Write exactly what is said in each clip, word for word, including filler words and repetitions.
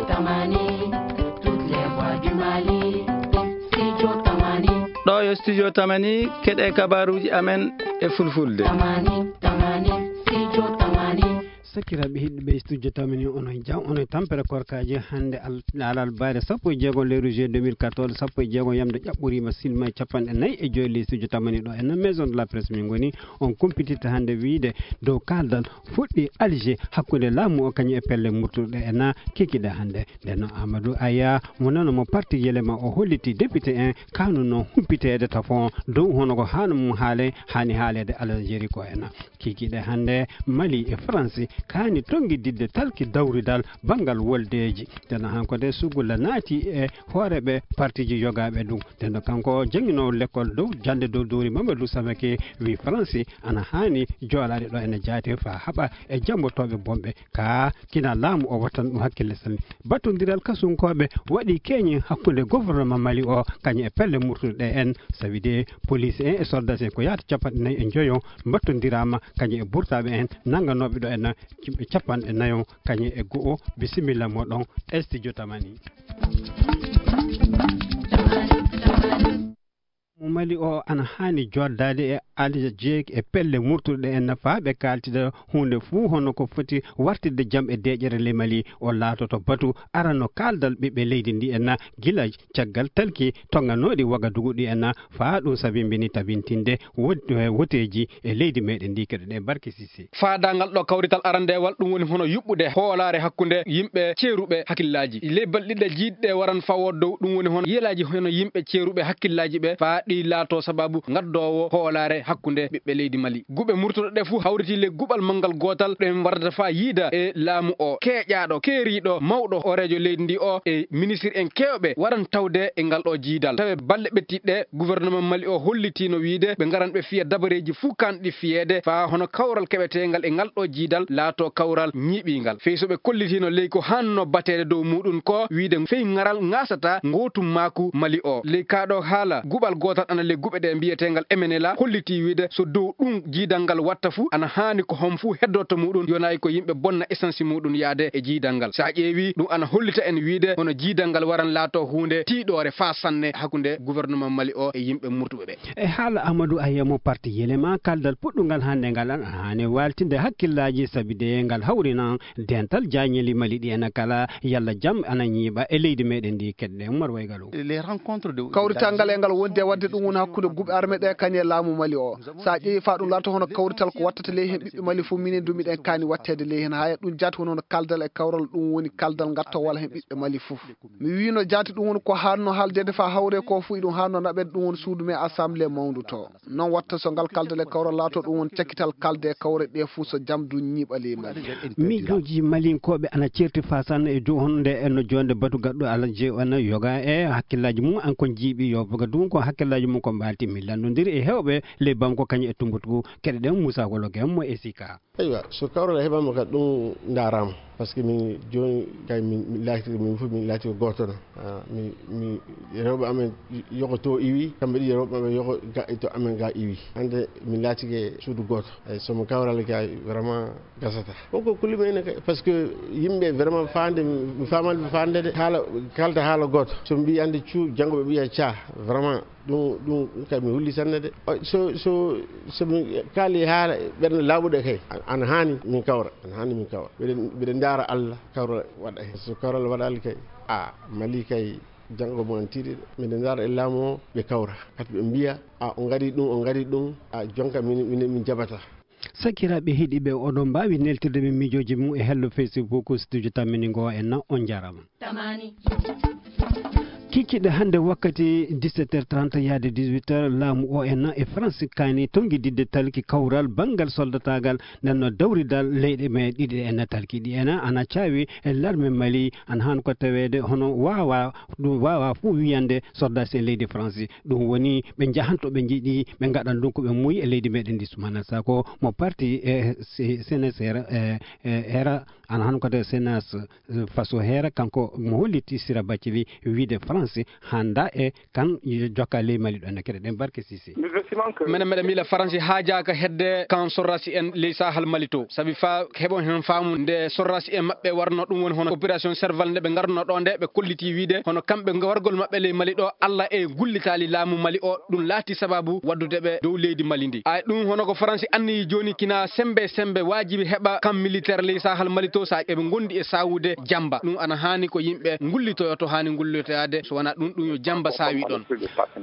Tamani, toutes les voix du Mali. Studio Tamani. Ɗo yo Studio Tamani, keɗe kabaruuji amen e Fulfulde. Tamani, Tamani, Studio Tamani. Sakiraaɓe heɗiiɓe Studio Tamani, onon jam, onon tampere korkaaji. Hannde al-, alal bayre sappo e jeego lewru juillet deux mille quatorze, sappo e jeego yamde ƴaɓɓoriima, silma e capanɗe nayi e joy ley Studio Tamani ɗo e na Maison de la Presse min ngoni. On kumpitirta hannde wiyde dow kaaldal fuɗɗi Alger hakkunde laamu o kañum e pelle murtuɗe e na kikiɗe hannde. Nden noon Amadou Aya mo nano mo parti Yelema o holliti député en kanuno humpiteede tafon dow hono ko haano mum haale haani haaleede Algérie ko e na kikiɗe hannde. Mali e France kaani tonngididde talki dawridal banngal woldeeji. Nden noon hanko de sugulla naati e hooreɓe partiji yogaaɓe ɗum. Nden noon kanko jannginoowo lekkol dow jannde dow dowri Mamadou Samake wi France ana haani joolaade ɗo ene jaati faa haɓa e jammbotooɓe bonɓe ka kina laamu o wattan ɗum hakkille sanne. Battondiral kasunkooɓe waɗi keñi hakkunde gouvernement Mali o kañum e pelle murtuɗe en, sabi de police en e soldats en ko yahata capanɗe nayi e njoyo mbattondiraama kañum e burtaaɓe en nannganooɓe ɗo en capanɗe nayo kañum e go'o. Bisimilla moɗon Studio Tamani. Mo Mali o ana haani joddaade e aljeek e pelle murtuɗe en faa ɓe kaaltida huunde fuu hono ko foti wartirde jam e deeƴere ley Mali. O laatoto batu arano kaaldal ɓiɓɓe leydi ndi en gila caggal talki tonganooɗi Wagadugu ɗi en faa ɗum sabimbini tabintinde wot-, eh, woteeji e leydi meɗen ndi. Keɗo ɗe barke Sise. Faadaangal ɗo kawrital arandeewal, ɗum woni hono yuɓɓude hoolaare hakkunde yimɓe ceeruɓe hakkillaaji. Ley balɗe ɗiɗi jiiɗɗe waran fawo dow, ɗum woni hono yelaaji hono yimɓe ceeruɓe hakkillaaji ɓe, faa ɗi laato sababu ngaddoowo hoolaare hakkunde ɓiɓɓe leydi Mali. Guɓe murtuɗe ɗe fuu hawriti ley guɓal manngal gootal, ɗo en warata faa yiida e laamu o, keeƴaaɗo, keeriiɗo, mawɗo, hooreejo leydi ndi o, e ministir en keewɓe waran tawde e ngal ɗo jiidal. Tawe balɗe ɓettiiɗe, gouvernement Mali o hollitiino wiide ɓe ngaran ɓe fiya dabareeji fuu kaanɗi fiyeede faa hono kawral keɓeteengal e ngal ɗo jiidal laato kawral ñiiɓingal. Fey so ɓe kollitiino ley ko haanno bateede dow muuɗum ko wiide fey ngaral ŋaasataa ngootum maaku Mali o. Ley kaa ɗo haala guɓal gootal ana ley guɓe ɗe mbiyeteengal M N L A hollitii wiide so dow ɗum jiidal ngal watta fuu ana haani ko hom fuu heddorto muuɗum yonaayi ko yimɓe bonna essence muuɗum yaade e jiidal ngal. So a ƴeewi ɗum ana hollita en wiide hono jiidal ngal waran laato huunde tiiɗoore faa sanne hakkunde gouvernement Mali o e yimɓe murtuɓe ɓe. E haala Amadou Ayemo parti Yelema, kaldal puɗɗungal hannde ngal an haani waaltinde hakkillaaji sabi de ngal hawrinan dental jaañeli Mali ɗi ena kala yalla jam ana ñiiɓa e leydi meɗen ndi keɗɗe Umar Waygalu. Les rencontres de kawrital ngal e ngal wondi e waɗde ɗum woni hakkunde guɓe armée ɗe kañe laamu Mali o. So a ƴeewi faa ɗum laato hono kawrital ko wattata ley heen ɓiɓɓe Mali fof minen du miɗen kaani watteede ley heen haa e ɗum jaati woni hono kaldal e kawral ɗum woni kaldal ngatto walla heen ɓiɓɓe Mali fof. Mi wiino jaati ɗum woni ko haanno haaldeede faa hawre ko fuu iɗum haanno naɓeede ɗum woni suudu men assemblée mawndu to. Noon watta so ngal kaldal e kawral laato ɗum woni cakkital kalde e kawre ɗe fuu so jam du ñiiɓa ley Mali. Miijooji malinkooɓe ana ceerti faa sanne e dow honde e no joonde batu gaɗɗo Alaa Jee ana yoga e hakkillaaji mum an kon jiiɓi yo boga ɗum ko hakkillaaji mum ko mbaalti mi lanndondiri e heewɓe ley banko kañum e Tumbutu keɗe ɗen Muusaa Wologe mo e Sika. Eywa, so kawral heɓaama ka ɗum ndaaraama. Par ce que min jooni kay min, min laatike min fof min laatike gooto no. Ah, mi, mi rewɓe amen yoko to iwi, kamɓe ɗi rewɓe amen yoko ga, to amen ga iwi. Hannde min laatike suudu gooto. Eyi, so mo kawral kay vraiment gasata. Koko kulima ene kay, par ce que yimɓe vraiment faande, mi faamaani ɓe faande de, haala, kalda haala gooto. So mbi hannde cu, janngo ɓe mbiya ca, vraiment. Ɗum, ɗum kay mi hulli sanne de. O, so, so, so mi kaali haala ɓernde laaɓuɗe kay, an-, ana haani min kawra, ana haani min kawra. Mbiɗen, mbiɗen ndaara Allah kawral waɗa heen. So kawral waɗaali kay, a, Mali kay, janngo mo an tiiɗi de. Mbiɗen ndaara e laamu o, ɓe kawra. Kadi ɓe mbiya, a, o ngaɗi ɗum, o ngaɗi ɗum, a, jonka min, min, min jaɓata. Sakiraaɓe heɗiiɓe, oɗon mbaawi neltirde min miijooji mum e hello Facebook Studio Tammini ngo en na, on njaaraama. Tamani. Kikiɗe hannde wakkati dix-sept heures trente yaade dix-huit heures, laamu O N e France kaani tonngididde talki kawral banngal soldataagal, nden no dawridal leyɗe me ɗiɗi en talki ɗi en ana caawi e larme Mali, an haan ko taweede hono waawa, ɗum waawa fof wiyande soldat e leydi France. Ɗum woni ɓe njahanto ɓe njiɗi ɓe ngaɗan ɗum ko ɓe muuyi e leydi meɗen ndi. Sumana Sako mo parti e C N S R, e, e, era, ana haan ko tawi C N S, e, faso heera, kanko mo holliti Sira Bathily wiide France Faransi hannda e kan jokka ley Mali ɗo, na keɗe ɗen Barke Sise. Menen meɗen miila Faransi haajaaka hedde kan sorrasi en ley Sahal Mali to. Sabi fa heɓon hen faamu nde sorrasi en maɓɓe warno ɗum woni hono opération Serval nde ɓe ngarno ɗo nde, ɓe kolliti wiide hono kamɓe wargol maɓɓe ley Mali ɗo, Alla e gullitaali laamu Mali o, ɗum laati sababu waddude ɓe dow leydi Mali ndi. Ay ɗum hono ko Faransi anniyi jooni kina sembe sembe waajibi heɓa kan militaire ley Sahal Mali to sa eɓe ngondi e sawude jamba. Ɗum ana haani ko yimɓe ngullitoyo to haani ngullitoyaade, so wonaa ɗum, ɗum yo jamba saawi ɗon.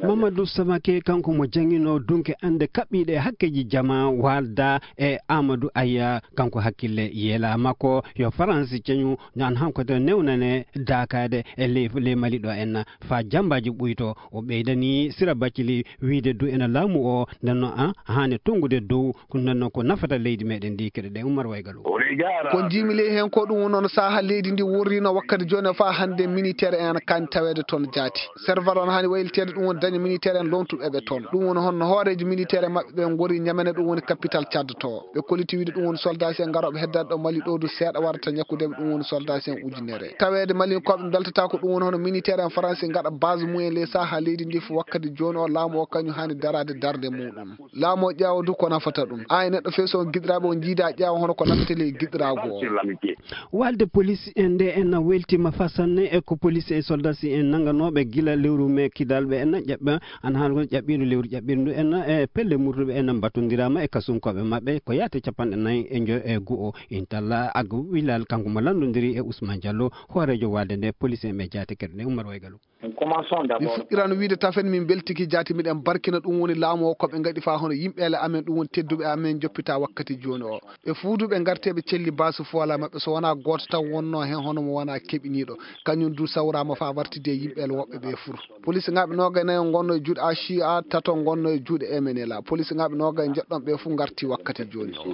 Mamadou Samake, kanko mo jangino dunke annde kaɓɓiiɗe e hakkeeji jama, waalda e Amadou Aya, kanko hakkille yeela makko yo Faransi ceñu, nan hanko to newnane daakaade e ley, ley Mali ɗo en, faa jambaaji ɓuyto. O ɓeydani Sira Bathily wiide du ena laamu o, nden noon, a, haani tonngude dow, ko nden noon ko nafata leydi meɗen ndi, keɗe ɗe Umar Waygalu. Ko njiimi ley heen ko ɗum woni noon saha leydi ndi worrino wakkati jooni faa hannde militaire en ana kaani taweede toon jaati. Serval on haani wayliteede ɗum woni daña militaire en lomtuɓe ɓe toon. Ɗum woni honno hooreejo militaire en maɓɓe ɓe ngori Ñamene, ɗum woni capital Tchad to. Ɓe kolliti wiide ɗum woni soldat en ngarooɓe heddaade ɗo Mali ɗo du seeɗa warata ñakkude ɓe, ɗum woni soldat en ujunere. Taweede Malinkooɓe mbeltataa ko ɗum woni hono militaire en Faransi ngaɗa base mumen ley saha leydi ndi fof wakkati jooni o laamu o kañum haani daraade darnde muɗum. Laamu o ƴeewa du ko nafata ɗum. Ay neɗɗo feeso on giɗiraaɓe on jiida ƴeewa hono ko nafata ley giɗiraagu o. Walde police en nde en weltima fa sanne e ko police e soldat si en nanganooɓe gila lewru me kidalɓe en ƴaɓɓa an han ko ƴaɓɓiiɗo lewru ƴaɓɓiiɗo ndu en e pelle murtuɓe en mbattondirama e kasunkooɓe maɓɓe ko yaate capanɗe nayi e njo e go'o intalla Agu Wilal kanko mo lanndondiri e Ousmane Diallo hooreejo walde nde police en ɓe jaate keɗe nde Umar Waygalu. Mi fuɗɗiran wiide tafen min mbeltiki jaati miɗen barkina ɗum woni laamu o ko ɓe ngaɗi faa hono yimɓeele amen ɗum woni tedduɓe amen joppita wakkati jooni o. Ɓe fuu du ɓe ngarti eɓe celli baasu fuwala maɓɓe so wonaa gooto tan wonnoo heen hono mo wonaa keɓiniiɗo. Kañum du sawraama faa wartidi e yimɓeele woɓɓe ɓe fuu. Polisigaaɓe noogay nayo ngonnoo e juuɗe A C A, tato ngonnoo e juuɗe M N L A. Polisigaaɓe noogay njeɗɗon ɓe fuu ngarti wakkati jooni o.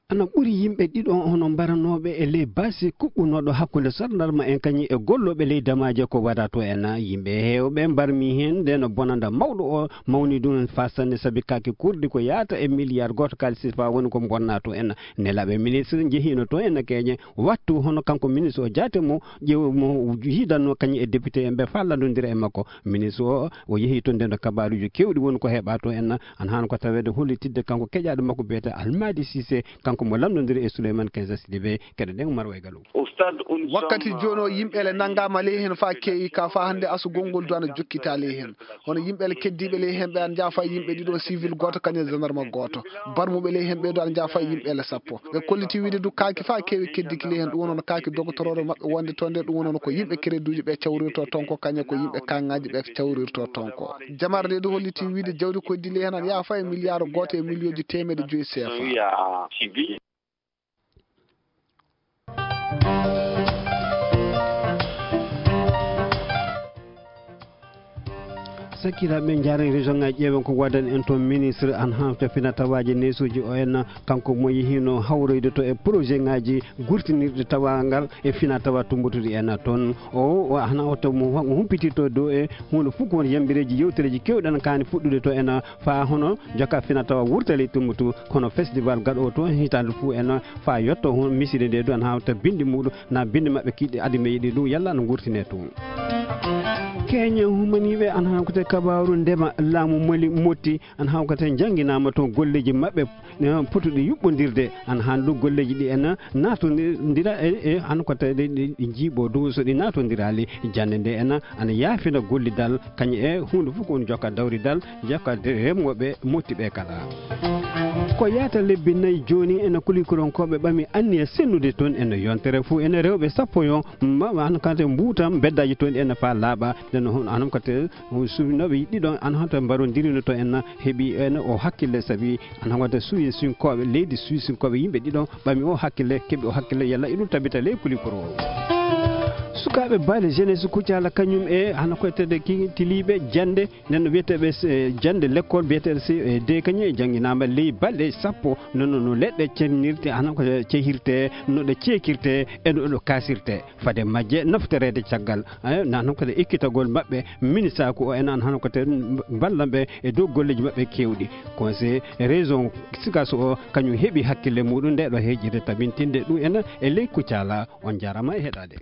Ana ɓuri yimɓe ɗiɗo hono mbaranooɓe e ley baasi kuɓɓunooɗo hakkunde sarndarma en kañum e gollooɓe ley damaaje ko waɗa to en. Yimɓe heewɓe mbarmi heen nde no bonanda mawɗo o mawni ɗum en faa sanne sabi kaake kurdi ko yahata e miliyar gooto kaalisi faa woni ko bonna to en. Nelaaɓe ministre njehiino to en keeñe wattu hono kanko ministre o jaate mo ƴeew mo yiidanno kañum e député en ɓe faa lanndondira e makko. Ministre o, o yehi to nden ɗo kabaaruuji keewɗi woni ko heɓa to en. Ana haani ko taweede hollitidde kanko keƴaaɗo makko biyetee Almadi Sise, kanko mo lanndondiri e Souleymane Kenza Sidibé, keɗe ɗen Umar Waygalu. Wakkati jooni o, yimɓeele nanngaama ley heen faa keewi ka faa hannde asugol ngol du ana jokkita ley heen. Hono yimɓeele keddiiɓe ley heen ɓe ana njaha faa yimɓe ɗiɗo civil gooto kañum e gendarme gooto. Barmuɓe ley heen ɓe du ana njaha faa yimɓeele sappo. Ɓe kolliti wiide du kaaki faa keewi keddiki ley heen ɗum woni hono kaaki dogotoroore maɓɓe wonde to nde ɗum woni hono ko yimɓe crédit uji ɓe cawrirto toon ko kañum ko yimɓe kaŋŋaaji ɓe cawrirto toon ko. Jamar nde du holliti wiide jawdi ko dilli heen ana yaha faa e miliyaaru gooto e miliyooji teemedde joyi C F A. Sakiraaɓe, njaaren région ŋaaji ƴeewen ko waɗan en toon ministre an hafta fina tawaaji neesuuji o en, kanko mo yehiino hawroyde to e projet ŋaaji gurtinirɗi tawaangal e fina tawa tumbutuɗi en toon. O, o hana oto mo humpitirto dow e huunde fof ko won yambireeji yewtereeji keewɗi ana kaani fuɗɗude to en faa hono joka fina tawa wurtali tumbutu kono festival gaɗo toon hitaande fof en faa yetto hon miside nde du ana hawta bindi muɗum na bindi maɓɓe kiɗɗi adi me yiɗi ɗum yalla ana gurtine toon. Keeñe humaniiɓe ana hawkata kabaaru ndema laamu Mali motti ana hawkata jannginaama toon golleeji maɓɓe eh, potuɗi yuɓɓondirde ana haani ɗum golleeji ɗi en naatondira e, e hano ko tawi ɗi, ɗi, ɗi njiiɓo dow so ɗi naatondiraali jannde nde en ana yaafina gollidal kañum e huunde fof ko woni jokka dawridal jokka remooɓe motti ɓe kala. Ko yaata lebbi nayi jooni ene kulikoronkooɓe ɓami anniya sennude toon ene yontere fof ene rewɓe sappo yo ma an kante mbuuta mbeddaaji toon ene faa laaɓa nden hono anam kate suwinooɓe ɗiɗo an hanta mbarondirino to en heɓi en o hakkille sabi an hawata suwisinkooɓe leydi suwisinkooɓe yimɓe ɗiɗo ɓami o hakkille keɓi o hakkille yalla iɗum tabita ley kulikoro o. Sukaaɓe baale jeunesse kucala kañum e hano koytede ki tiliiɓe jannde nden no wiyeteeɓe jannde l'école biyeteeɗo C E D kañum e jannginaama ley balɗe sappo nono no leɗɗe cennirte hano ko cehirte no ɗe ceekirte e no ɗo kasirte fade majje naftoreede caggal na noon kadi ekkitagol maɓɓe ministaaku o ena hano kadi ballan ɓe e dow golleeji maɓɓe keewɗi. Conseil région Sikaso o kañum heɓi hakkille muɗum nde ɗo heejirde tabintinde ɗum ena e ley Kucala. On jaarama e heɗaade.